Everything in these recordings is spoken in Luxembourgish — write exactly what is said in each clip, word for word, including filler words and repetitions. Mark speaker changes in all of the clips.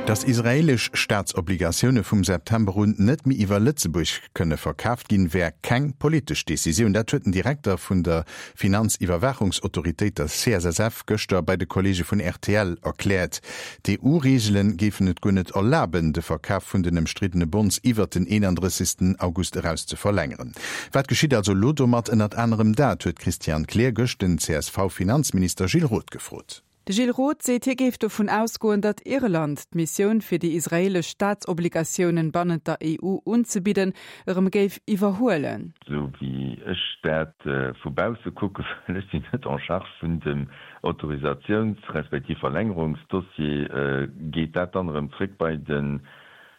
Speaker 1: Dass israeelesch Staatsobligatioune vum September un net méi iwwer Lëtzebuerg kënne verkaaft ginn, wär keng politesch Decisioun. Dat huet den Direkter vun der Finanziwwerwaachungsautoritéit, der C S S F, gëschter bei de Kolleege vun R T L erkläert. D' E U-Reegele géifen et guer net erlaben, de Verkaf vun den ëmstriddene Bonds iwwer den eenandrëssegsten August eraus ze verlängeren. Wat geschitt also elo domat? Ënnert anerem dat huet d'Christiane Kleer gëscht den C S V-Finanzminister Gilles Roth gefrot.
Speaker 2: De Gilles Roth seet, hie géif dovun ausgoen, datt Irland d'Missioun fir déi israeelesch Staatsobligatiounen bannent der E U unzebidden, erëm géif iwwerhuelen.
Speaker 3: Sou wéi ech dat äh, vu bausse kucken, well ech sinn net en charge vun dem Autorisatiouns- respektiv Verlängerungsdossier, äh, geet dat dann erëm zréck bei den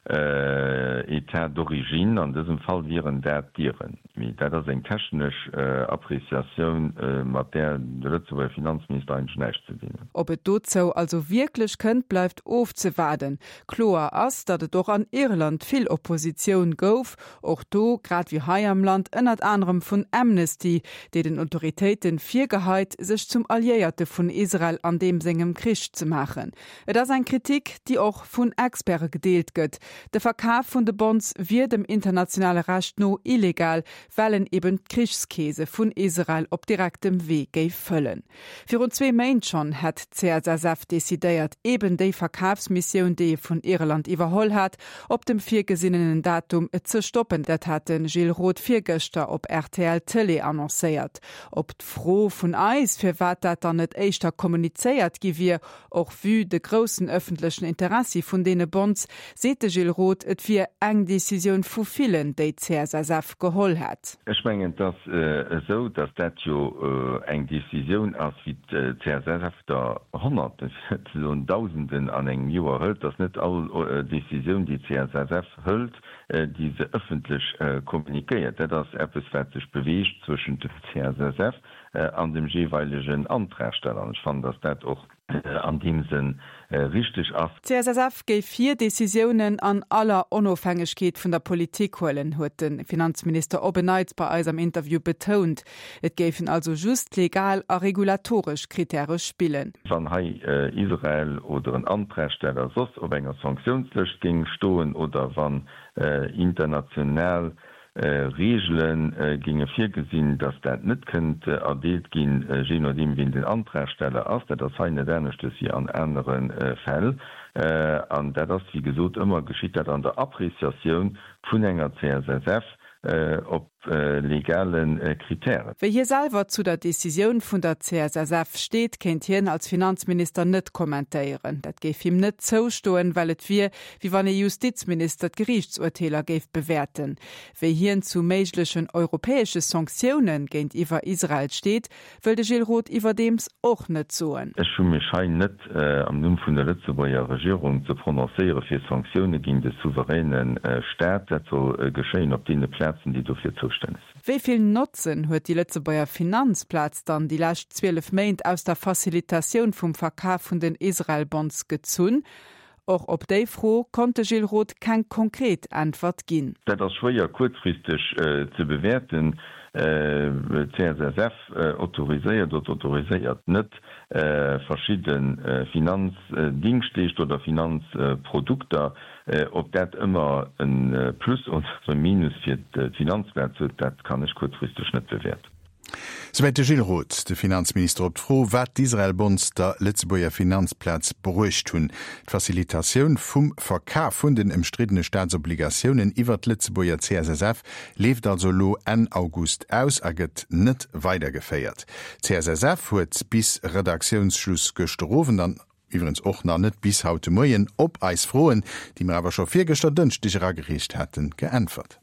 Speaker 3: äh, État d'origine. An dësem Fall wieren dat d'Iren. Dat ass eng technesch äh, Appreciatioun, äh, mat där de Lëtzebuerger Finanzminister eigentlech näischt ze dinn huet.
Speaker 2: Ob et dozou also wierklech kënnt, bleift ofzewaarden. Kloer ass, datt et och an Irland vill Oppositioun gouf, och do grad wéi hei am Land ënnert anerem vun Amnesty, déi den Autoritéite virgeheit, sech zum Alliéierte vun Israel an deem sengem Krich ze maachen. Et ass eng Kritik, déi och vun Experte gedeelt gëtt. De Verkaf vun de Bonds wier dem internationale Recht no illegal, well en eben d'Krichskeese vun Israel op direktem Wee géif fëllen. Virun zwee Méint schonn hat d'C S S F decidéiert, eben déi Verkafsmissioun, déi e vun Irland iwwerholl hat, op dem virgesinnenen Datum ze stoppen. Dat hat de Gilles Roth virgëschter op R T L Tëlee annoncéiert. Op d'Fro vun eis, firwat dat dann net éischter kommunizéiert gi wier, och vue de groussen ëffentlechen Interessi vun deene Bonds, seet de Gilles Roth, et wier eng Decisioun vu villen, déi d'C S S F geholl hätt.
Speaker 3: Ech mengen, et ass esou, datt dat jo eng Decisioun ass, wéi d'C S S F der Honnerten, fir net ze soen Dausenden an engem Joer hëlt. Et ass net all Decisioun, déi d'C S S F hëlt, déi se ëffentlech kommunikéiert. Dat ass eppes, wat sech beweegt zwëschent dem C S S F an dem jeeweilegen Antragsteller. An ech fannen, datt dat och an deem Sënn richteg ass.
Speaker 2: D'C S S F géif hir Decisiounen an aller Onofhängegkeet vun der Politik huelen, huet de Finanzminister op en Neits bei eis am Interview betount. Et géifen also just legal a regulatoresch Krittäre spillen.
Speaker 3: Wann hei Israel oder en Antragsteller soss op enger Sanktiounslëscht géing stoen oder wann international Reegele géinge virgesinn, datt dat net kënnt erdeelt ginn, jee nodeem wien den Antragsteller ass. Dat ass hei net aneschtes wéi an anere Fäll. An dat ass, wéi gesot, ëmmer geschitt dat an der Appreciatioun vun enger C S S F op legale Krittären.
Speaker 2: Wéi hie selwer zu der Decisioun vun der C S S F steet, kéint hien als Finanzminister net kommentéieren. Dat géif him net zoustoen, well et wier, wéi wann e Justizminister d'Geriichtsurteeler géif bewäerten. Wéi hien zu méiglechen europäesche Sanktioune géintiwwer Israel steet, wëll de Gilles Roth iwwerdeems och net soen.
Speaker 3: Ech hu mech hei net am Numm vun der Lëtzebuerger Regierung ze prononcéiere fir Sanktioune géint e souveräne Staat. Dat soll geschéien op deene Plazen, déi dofir zoustänneg sinn.
Speaker 2: Wéi vill Notzen huet déi Lëtzebuerger Finanzplaz dann déi lescht zwielef Méint aus der Facilitatioun vum Verkaf vun den Israel-Bonds gezunn? Och op déi Fro konnt de Gilles Roth keng konkret Äntwert ginn.
Speaker 3: Dat ass schwéier kuerzfristeg ze bewäerten. D'C S S F autoriséiert oder autoriséiert net verschidde Finanzdingschtleeschter oder Finanzprodukter. Ob dat ëmmer e Plus oder e Minus fir d'Finanzplaz huet, dat kann ech kuerzfristeg net bewäerten.
Speaker 1: Souwäit de Gilles Roth, de Finanzminister, op d'Fro, wat d'Israel-Bonds der Lëtzebuerger Finanzplaz bruecht hunn. D'Facilitatioun vum Verkaf vun den ëmstriddene Staatsobligatiounen iwwer d'Lëtzebuerger C S S F leeft also elo Enn August aus a gëtt net weidergeféiert. D'C S S F huet bis Redaktiounsschluss gëschter Owend an iwwregens och nach net bis haut de Moien op eis Froen, déi mer awer scho virgëschter Dënschdeg eragereecht haten, geäntwert.